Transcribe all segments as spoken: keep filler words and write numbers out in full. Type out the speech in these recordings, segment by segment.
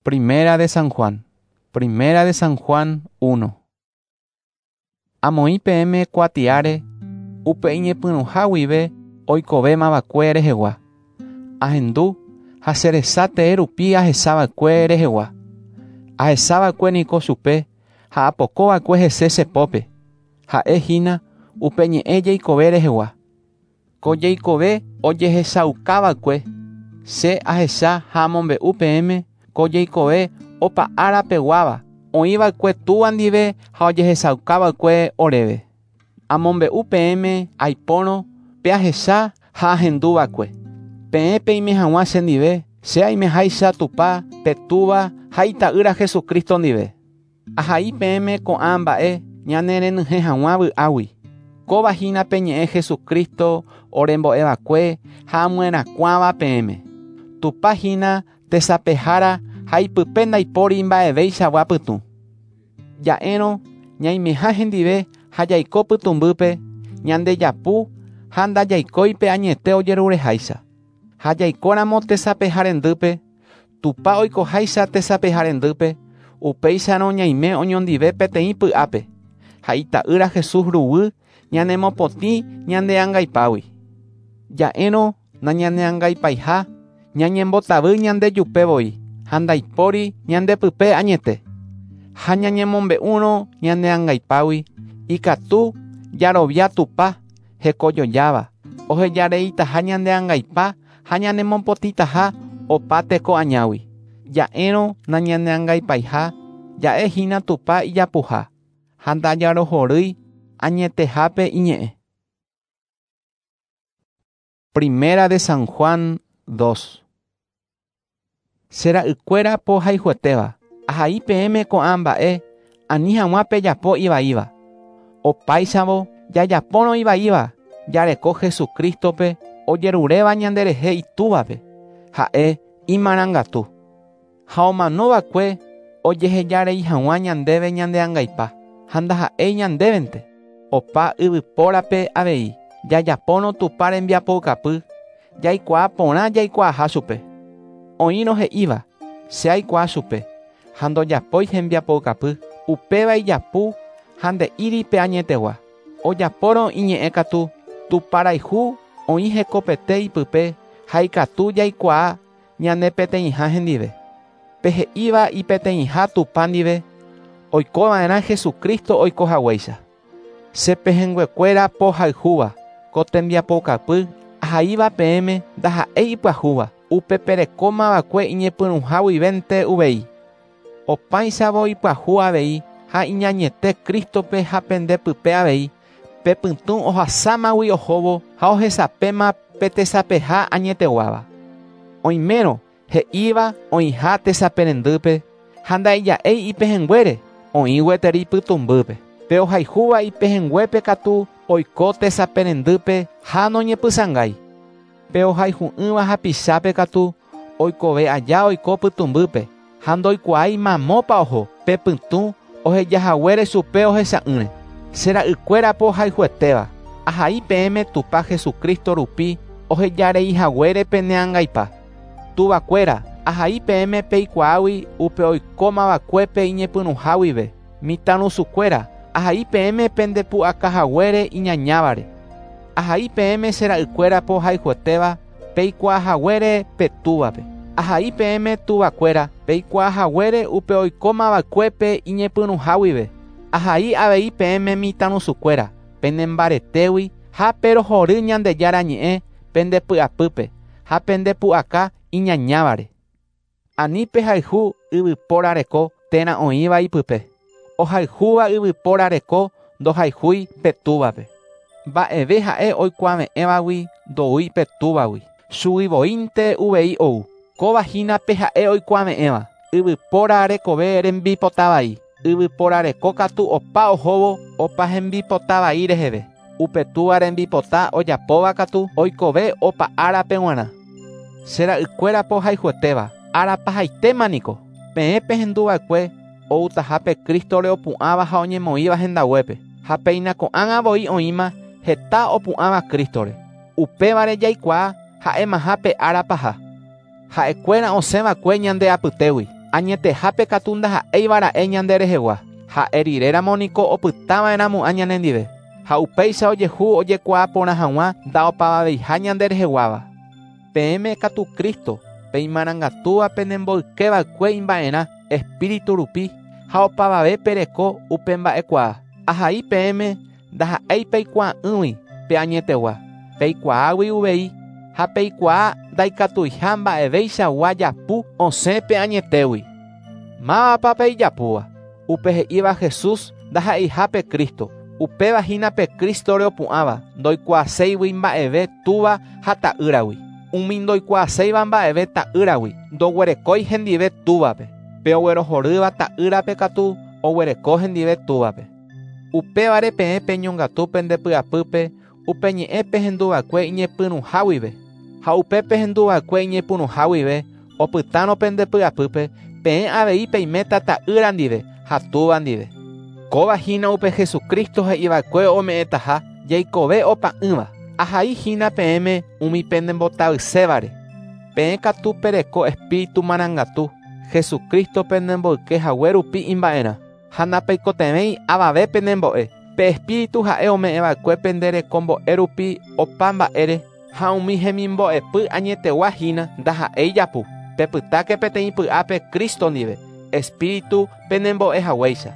Primera de San Juan. Primera de San Juan uno. Amoĩ peẽme kuatiáre upe iñepyrũha guive oikovéma va'ekue rehegua. Ahendu ha che resa tee rupi ahechava'ekue rehegua. Ahechava'ekue niko chupe ha apokova'ekue hese che pópe. Ha'ehína upe ñe'ẽ jeikove rehegua. Ko jeikove ojehechaukava'ekue che ahecha ha amombe'u peẽme ko jeikove opa ára peguáva oĩva'ekue túva ndive ha ojehechaukava'ekue oréve. Amombe'u peẽme aipórõ pe ahecha ha ahenduva'ekue. Peẽ peime hag̃ua chendive che aimeháicha Tupã pe Túva ha ita'ýra Jesucristo ndive. Ahai peẽme ko'ã mba'e ñanerenyhẽ hag̃ua vy'águi. Kóva hína pe ñe'ẽ Jesucristo orembo'eva'ekue ha amyerakuãva peẽme. Tupã hína tesapehára ha ipype ndaipóri mba'evéichagua pytũ. Ja'érõ ñaimeha hendive ha jaiko pytũmbýpe ñandejapu ha ndajaikói pe añete ojerureháicha. Ha jaikóramo tesapeharendýpe, Tupã oikoháicha tesapeharendýpe, upéicharõ ñaime oñondive peteĩ py'ápe ha ita'ýra Jesús ruguy ñanemopotĩ ñandeangaipágui. Ja'érõ nañaneangaipaiha ñañembotavy ñandejupevoi ha ndaipóri ñandepype añete. Ha ñañemombe'úrõ ñaneangaipágui ikatu jarovia Tupã hekojojáva ohejareitaha ñandeangaipa ha ñanemopotĩtaha opa teko añágui. Ja'érõ nañaneangaipaiha ja'ehína Tupã ijapuha ha ndajarohorýi añetehápe iñe'ẽ. Primera de San Juan dos. Che ra'ykuéra pohayhuetéva, ahai peẽme ko'ã mba'e ani hag̃ua pejapo ivaíva. Opáichavo jajapórõ ivaíva jareko Jesucristope ojeruréva ñanderehe itúvape, ha'e imarangatu. Ha omanova'ekue ojehejarei hag̃ua ñandéve ñandeangaipa ha ndaha'éi ñandévente. Opa yvypórape avei jajapórõ Tupã rembiapoukapy jaikuaa porã jaikuaaha chupe. Oĩrõ he'íva che aikuaa chupe ha ndojapói hembiapoukapy upéva ijapu ha nde'íri pe añetegua. Ojapórõ iñe'ẽ katu Tupãrayhu oĩ hekopete ipype ha ikatu jaikuaa ñane peteĩha hendive. Pe he'íva ipeteĩha Tupã ndive oikova'erã Jesucristo oikohaguéicha. Che pehẽnguekuéra pohayhúva ko tembiapoukapy ahaíva peẽme ndaha'éi ipyahúva upe perekómava'ekue iñepyrũha guivénte uvei. Opáichavo ipyahu avei ha iñañete Cristope ha pendepype avei pe pytũ ohasámagui ohóvo ha ohesapéma pe tesapeha añeteguáva. Oimérõ he'íva oĩha tesaperendýpe ha ndaija'éi ipehẽnguére oĩ gueteri pytũmbýpe. Pe ohayhúva ipehẽnguépe katu oiko tesaperendýpe ha noñepysãngái. Pe ohayhu'ỹva hapichápe katu oikove aja oiko pytũmbýpe ha ndoikuaái mamópa oho pe pytũ ohejahaguére chupe ohecha'ỹre. Che ra'ykuéra pohayhuetéva ahai peẽme Tupã Jesucristo rupi ohejareihaguére peneangaipa. Tuvakuéra ahai peẽme peikuaágui upe oikómava'ekuépe iñepyrũha guive. Mitãrusukuéra ahai peẽme pendepu'akahaguére iñañávare. Ahai peẽme che ra'ykuéra pohayhuetéva peikuaahaguére pe túvape. Ahai peẽme tuvakuéra peikuaahaguére upe oikómava'ekuépe iñepyrũha guive. Ahai avei peẽme mitãrusukuéra penembaretégui ha perohory Ñandejára ñe'ẽ pendepy'apýpe ha pendepu'aka iñañávare. Ani pehayhu yvypóra reko térã oĩva ipype. Ohayhúva yvypóra reko ndohayhúi pe túvape. Mba'eve ha'e oikuave'ẽvagui ndoúi pe túvagui. Chuguivoínte uvei ou. Kóva hína pe ha'e oikuave'ẽva. Yvypóra rekove rembipotavai. Yvypóra reko katu opa ohóvo opa hembipotavai reheve. Upe túva rembipota ojapóva katu oikove opa árape g̃uarã. Che ra'ykuéra pohayhuetéva árapahaitéma niko. Peẽ pehenduva'ekue outahápe Cristore opu'ãva ha oñemoĩva hendaguépe. Ha péina ko'ág̃a voi oĩma heta opu'ãva Cristore. Upévare jaikuaa ha'emaha pe ára paha. Ha'ekuéra osẽva'ekue ñande apytégui. Añetehápe katu ndaha'éiva ra'e ñande rehegua. Ha'e riréramo niko opytava'erãmo'ã ñanendive. Ha upéicha ojehu ojekuaa porã hag̃ua ndaopavaveiha ñande reheguáva. Peẽme katu Cristo, pe imarangatúva penemboykeva'ekue imba'erã Espíritu rupi ha opavave pereko upe mba'ekuaa. Ahai peẽme ndaha'éi peikuaa'ỹgui pe añetegua. Peikuaágui uvei ha peikuaa ndaikatuiha mba'eveichagua japu osẽ pe añetégui. Mávapa pe ijapúva? Upe he'íva Jesús ndaha'eiha pe Cristo. Upéva hína pe Cristore opu'ãva ndoikuaaséigui mba'eve túva ha ta'ýragui. Umi ndoikuaaséiva mba'eve ta'ýragui ndoguerekói hendive túvape. Pe oguerohorýva ta'ýrape katu oguereko hendive túvape. Upévare peẽ peñongatu pendepy'apýpe upe ñe'ẽ pehenduva'ekue iñepyrũha guive. Ha upe pehenduva'ekue iñepyrũha guive opytárõ pendepy'apýpe peẽ avei peiméta ta'ýra ndive ha túva ndive. Kóva hína upe Jesucristo he'iva'ekue ome'ẽtaha jaikove opa'ỹva. Ahai hína peẽme umi penembotavysévare. Peẽ katu pereko Espíritu marangatu Jesucristo penemboyke hague rupi imba'erã. Ha ndapeikotevẽi avave penembo'e. Pe Espíritu ha'e ome'ẽva'ekue penderekombo'e rupi opa mba'ére ha umi hemimbo'epy añetegua hína ndaha'éi japu. Pepytáke peteĩ py'ápe Cristo ndive, Espíritu penembo'e haguéicha.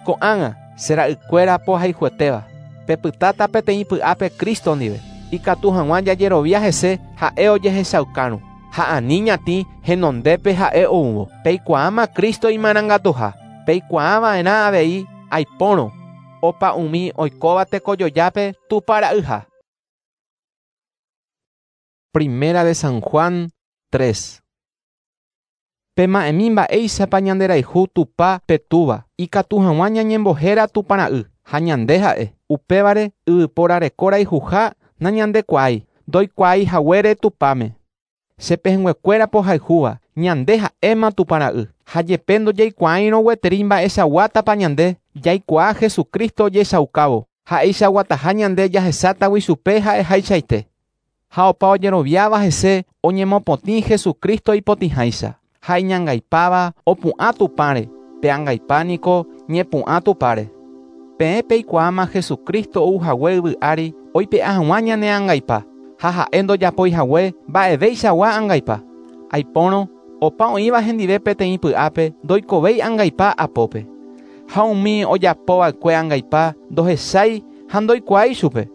Ko'ág̃a che ra'ykuéra pohayhuetéva, pepytáta peteĩ py'ápe Cristo ndive, ikatu hag̃ua jajerovia hese ha'e ojehechaukárõ. Ha ani ñatĩ henondépe ha'e oúvo. Peikuaáma Cristo imarangatuha. Peikuaava'erã avei aipórõ opa umi oikóva tekojojápe Tupã ra'yha. Primera de San Juan tres. Pema'ẽmi mba'éichapa ñanderayhu Tupã pe Túva, ikatu hag̃ua ñañembohéra Tupã ra'y ha ñande ha'e. Upévare yvypóra reko rayhuha nañandekuaái, ndoikuaái haguére Tupãme. Che pehẽnguekuéra pohayhúva, ñande ha'éma Tupã ra'y. Ha jepe ndojaikuaáirõ gueteri mba'eichaguátapa ñande, jaikuaa Jesucristo ojechaukávo. Ha'eichaguataha ñande jahechátagui chupe ha'ehaichaite. Ha opa ojeroviáva hese oñemopotĩ Jesucristo ipotĩháicha. Ha iñangaipáva opu'ã Tupãre, pe angaipa niko ñepu'ã Tupãre. Peẽ peikuaáma Jesucristo ou hague yvy ári oipe'a hag̃ua ñane angaipa. Ha ha'e ndojapói hague mba'eveichagua angaipa. Aipórõ opa oĩva hendive peteĩ py'ápe ndoikovéi angaipa apópe. Ha umi ojapova'ekue angaipa ndohechái ha ndoikuaái chupe.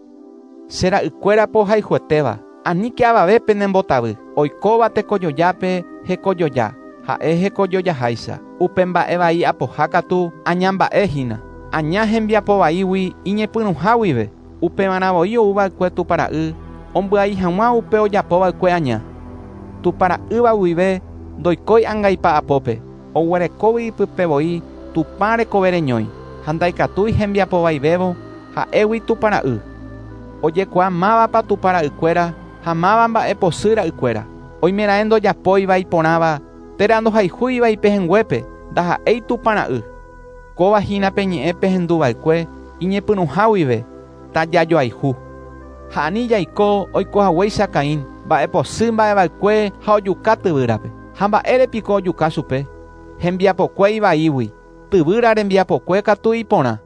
Che ra'ykuéra pohayhuetéva, aníke avave penembotavy, oikóva tekojojápe hekojoja, ha'e hekojojaháicha. Upe mba'e vai apoha katu aña mba'e hína. Aña hembiapo vaígui iñepyrũha guive. Upevarã voi ouva'ekue Tupã ra'y ombyai hag̃ua upe ojapova'ekue aña. Tupã ra'ýva guive ndoikói angaipa apópe, oguerekógui ipype voi Tupã rekove reñói, ha ndaikatúi hembiapo vaivévo ha'égui Tupã ra'y. Ojekuaa mávapa Tupã ra'ykuéra ha máva mba'eposy ra'ykuéra. Oimeraẽ ndojapóiva iporãva térã ndohayhúiva ipehẽnguépe ndaha'éi Tupã ra'y. Kóva hína pe ñe'ẽ pehenduva'ekue iñepyrũha guive tajajoayhu. Ha ani jaiko oikohaguéicha Caín, mba'eposy mba'eva'ekue ha ojuka tyvýrape. Ha mba'érepiko ojuka chupe? Hembiapokue ivaígui, tyvýra rembiapokue katu iporã.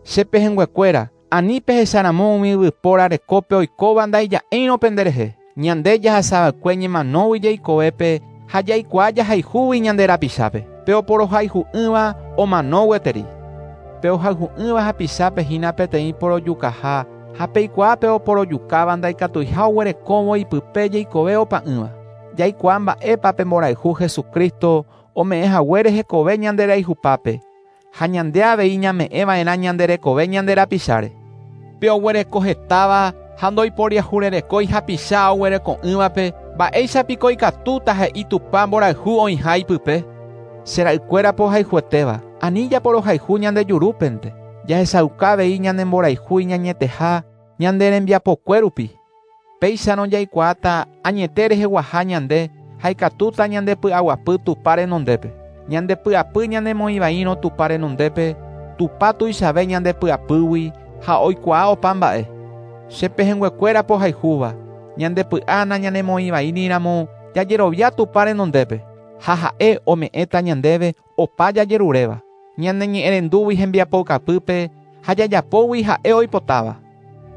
Che pehẽnguekuéra, ani pehecharamo umi yvypóra rekópe oikóva ndaija'éirõ penderehe. Ñande jahasava'ekue ñemanógui jaikovépe ha jaikuaa jahayhúgui ñande rapichápe. Pe oporohayhu'ỹva omano gueteri. Pe ohayhu'ỹva hapichápe hína peteĩ porojukaha ha peikuaa pe oporojukáva ndaikatuiha oguerekóvo ipype jaikove opa'ỹva. Jaikuaa mba'épa pe mborayhu Jesucristo ome'ẽ haguére hekove ñande rayhupápe ha ñande avei ñame'ẽva'erã ñande rekove ñande rapicháre. Pe oguereko hetáva ha ndoiporiahurerekói hapicha oguereko'ỹvape mba'éichapiko ikatúta he'i Tupã mborayhu oĩha ipype. Che ra'ykuéra pohayhuetéva, ani japorohayhu ñande jurúpente. Jahechauka avei ñane mborayhu iñañeteha ñande rembiapokue rupi. Péicharõ jaikuaáta añete reheguaha ñande ha ikatúta ñande py'aguapy Tupã renondépe. Ñande py'apy ñanemoĩvaírõ Tupã renondépe, Tupã tuichave ñande py'apýgui ha oikuaa opa mba'e. Che pehẽnguekuéra pohayhúva, ñande py'a nañanemoĩvaíramo jajerovia Tupã renondépe. Ha ha'e ome'ẽta ñandéve opa jajeruréva. Ñane ñe'ẽrendúgui hembiapoukapýpe ha jajapógui ha'e oipotáva.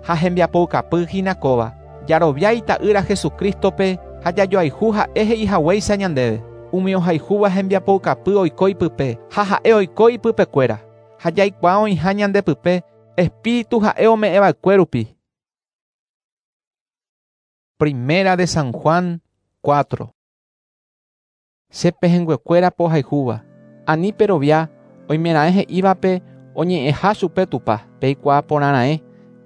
Ha hembiapoukapy hína kóva. Jarovia ita'ýra Jesucristope ha jajoayhu ha'e he'ihaguéicha ñandéve. Umi ohayhúva hembiapoukapy oiko ipype ha ha'e oiko ipypekuéra. Ha jaikuaa oĩha ñandepype Espíritu ha'e ome'ẽva'ekue rupi. Primera de San Juan cuatro. Che pehẽnguekuéra pohayhúva. Ani perovia oimeraẽ he'ívape oñe'ẽha chupe Tupã. Peikuaa porãraẽ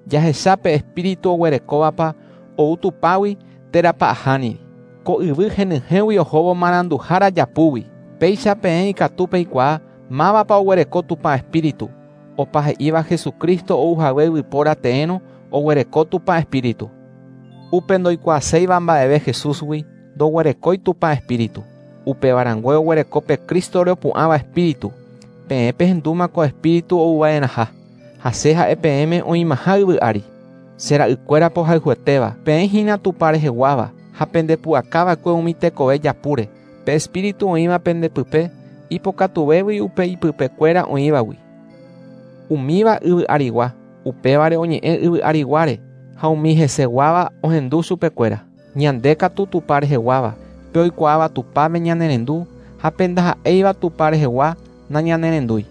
jahecha pe Espíritu oguerekóvapa ou Tupãgui térãpa ahániri. Ko yvy henyhẽgui ohóvo maranduhára japúgui. Péicha peẽ ikatu peikuaa mávapa oguereko Tupã Espíritu. Opa he'íva Jesucristo ouhague yvypóra teérõ oguereko Tupã Espíritu. Upe ndoikuaaséiva mba'eve Jesúsgui ndoguerekói Tupã Espíritu. Upevarãngue oguereko pe Cristore opu'ãva Espíritu. Peẽ pehendúma ko Espíritu ouva'erãha. Ha che ha'e peẽme oĩmaha yvy ári. Che ra'ykuéra pohayhuetéva. Peẽ hína Tupã reheguáva ha pendepu'akava'ekue umi tekove japúre. Pe Espíritu oĩva pendepype ipokatuvégui upe ipypekuéra oĩvagui. Umíva yvy arigua, upévare oñe'ẽ yvy ariguáre ha umi heseguáva ohendu chupekuéra. Ñande katu Tupã reheguáva, pe oikuaáva Tupãme ñanerendu ha pe ndaha'éiva Tupã rehegua nañanerendúi.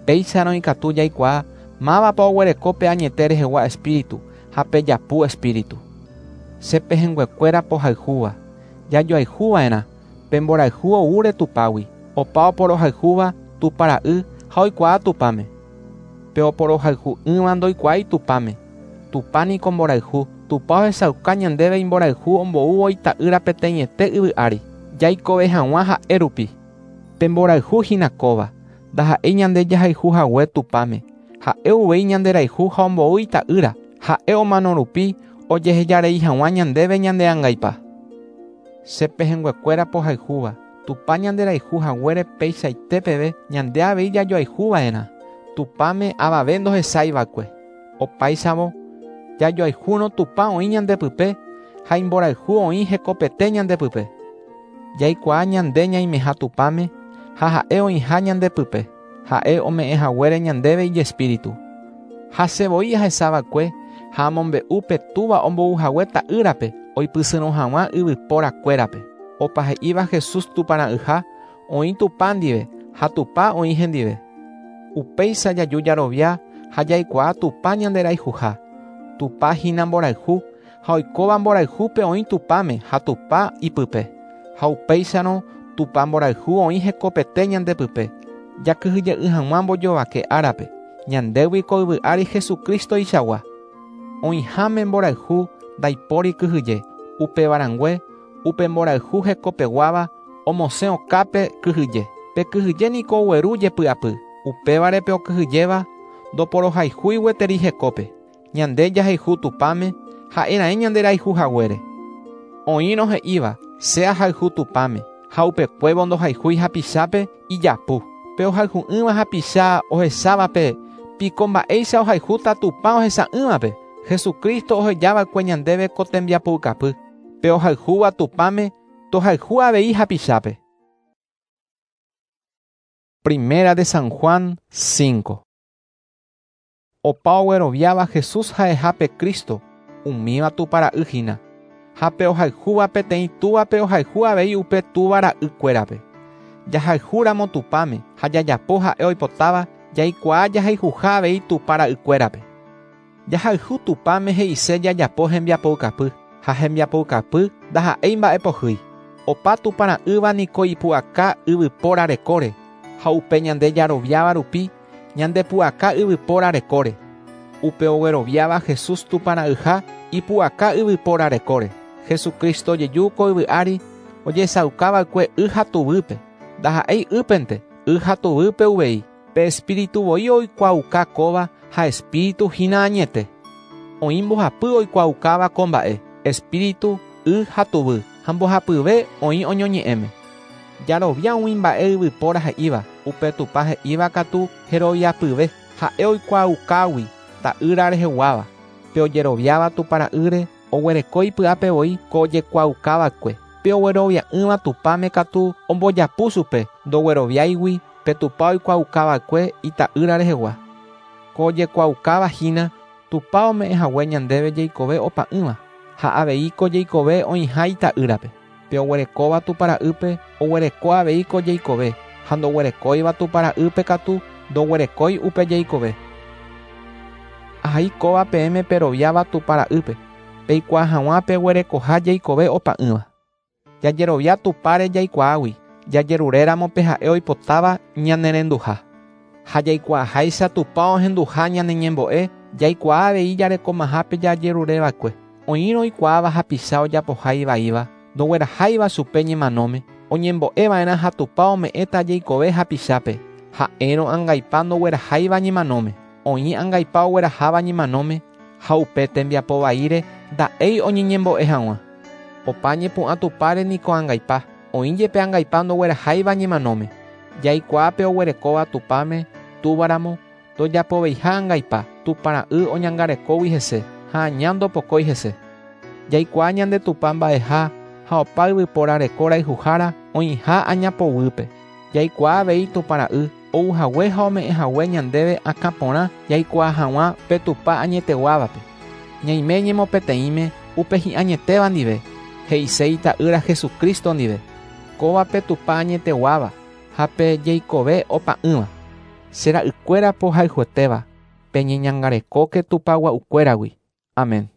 Péicharõ ikatu jaikuaa mávapa oguereko pe añete rehegua Espíritu ha pe japu Espíritu. Che pehẽnguekuéra pohayhúva, jajoayhuva'erã pe mborayhu oúre Tupãgui. Opa oporohayhúva Tupã ra'y ha oikuaa Tupãme. Pe oporohayhu'ỹva ndoikuaái Tupãme. Tupã niko mborayhu. Tupã ohechauka ñandéve imborayhu omboúvo ita'ýra peteĩete yvy ári. Jaikove hag̃ua ha'e rupi. Pe mborayhu hína kóva. Ndaha'éi ñande jahayhu hague Tupãme. Ha'e uvei ñanderayhu ha ombou ita'ýra. Ha'e omano rupi ojehejarei hag̃ua ñandéve ñandeangaipa. Che pehẽnguekuéra pohayhúva. Tupã ñanderayhu haguére peichaite peve ñande avei jajoayhuva'erã. Tupãme avave ndohechaiva'ekue. Opáichavo jajoayhúrõ Tupã oĩ ñandepype ha imborayhu oĩ hekopete ñandepype. Jaikuaa ñande ñaimeha Tupãme ha ha'e oĩha ñandepype. Ha'e ome'ẽ haguére ñandéve ijespíritu. Ha che voi ahechava'ekue ha amombe'u pe Túva ombouhague ta'ýrape oipysyrõ hag̃ua yvyporakuérape. Opa he'íva Jesús Tupã ra'yha oĩ Tupã ndive ha Tupã oĩ hendive. Upéicha jaju jarovia ha jaikuaa Tupã ñanderayhuha. Tupã hína mborayhu ha oikóva mborayhúpe oĩ Tupãme ha Tupã ipype. Ha upéicharõ Tupã mborayhu oĩ hekopete ñandepype. Jakyhyje'ỹ hag̃ua mbojovake árape. Ñandégui ko yvy ári Jesucristoichagua. Oĩháme mborayhu ndaipóri kyhyje. Upevarãngue upe mborayhu hekopeguáva omosẽ okápe kyhyje. Pe kyhyje niko ogueru jepy'apy. Upévare pe okyhyjéva ndoporohayhúi gueteri hekópe. Ñande jahayhu Tupãme ha'era'ẽ ñanderayhu haguére. Oĩrõ he'íva che ahayhu Tupãme ha upekuévo ndohayhúi hapichápe ijapu. Pe ohayhu'ỹva hapicha ohechávape piko mba'éicha ohayhúta Tupã ohecha'ỹvape. Jesucristo ohejava'ekue ñandéve ko tembiapoukapy. Pe ohayhúva Tupãme tohayhu avei hapichápe. Primera de San Juan cinco. Opa ogueroviáva Jesús ha'eha pe Cristo, umíva Tupã ra'y hína. Ha pe ohayhúva peteĩ túvape ohayhu avei upe túva ra'ykuérape. Jahayhúramo Tupãme ha jajapo ha'e oipotáva jaikuaa jahayhuha avei Tupã ra'ykuérape. Jahayhu Tupãme he'ise jajapo hembiapoukapy ha hembiapoukapy ndaha'éi mba'epohýi. Opa Tupã ra'ýva niko ipu'aka yvypóra rekóre ha upe ñande jaroviáva rupi ñandepu'aka yvypóra rekóre. Upe ogueroviáva Jesús Tupã ra'yha ipu'aka yvypóra rekóre. Jesucristo jeju ko yvy ári ojesaukava'ekue y ha tuvýpe. Ndaha'éi ýpente, y ha tuvýpe uvei. Pe Espíritu voi oikuaauka kóva ha Espíritu hína añete. Oĩ mbohapy oikuaukáva ko mba'e, Espíritu, y ha tuvy, ha mbohapyve oĩ oñoñe'ẽme. Jarovia umi mba'e yvypóra he'íva, upe Tupã he'íva katu heroviapyve, ha'e oikuaaukágui ta'ýra reheguáva. Pe ojeroviáva Tupã ra'ýre oguereko ipy'ápe voi ko ojekuaaukava'ekue. Upe oguerovia'ỹva Tupãme katu ombojapu chupe ndogueroviáigui pe Tupã oikuaaukava'ekue ita'ýra rehegua. Ko ojekuaaukava hína Tupã ome'ẽhague ñandéve jeikove opa'ỹva ha avei ko jeikove oĩha ita'ýrape. Pe oguerekóva Tupã ra'ýpe oguereko avei ko jeikove ha ndoguerekóiva Tupã ra'ýpe katu ndoguerekói upe jeikove. Ahai kóva peẽme peroviáva Tupã ra'ýpe peikuaa hag̃ua peguerekoha jeikove opa'ỹva. Jajerovia Tupãre jaikuaágui jajeruréramo pe ha'e oipotáva ñanerenduha. Ha jaikuaaháicha Tupã ohenduha ñane ñembo'e jaikuaa avei jarekomahápe jajerureva'ekue. Oĩrõ oikuaáva hapicha ojapoha ivaíva ndogueraháiva chupe ñemanóme oñembo'eva'erã ha Tupã ome'ẽta jeikove hapichápe ha'érõ angaipa ndogueraháiva ñemanóme. Oĩ angaipa ogueraháva ñemanóme ha upe tembiapo vaíre nda'éi oñeñembo'e hag̃ua. Opa ñepu'ã Tupãre niko angaipa oĩ jepe angaipa ndogueraháiva ñemanóme. Jaikuaa pe oguerekóva Tupãme túvaramo ndojapoveiha angaipa Tupã ra'y oñangarekógui hese ha aña ndopokói hese. Jaikuaa ñande Tupã mba'eha ha opa yvypóra reko rayhuhára oĩha añapoguýpe. Jaikuaa avei Tupã ra'y ouhague ha ome'ẽhague ñandéve akã porã jaikuaa hag̃ua pe Tupã añeteguávape. Ñaime ñemopeteĩme upe hi'añetéva ndive he'ise ita'ýra Jesucristo ndive. Kóva pe Tupã añeteguáva ha pe jeikove opa'ỹva. Che ra'ykuéra pohayhuetéva peñeñangarekóke Tupã gua'ukuéragui. Amén.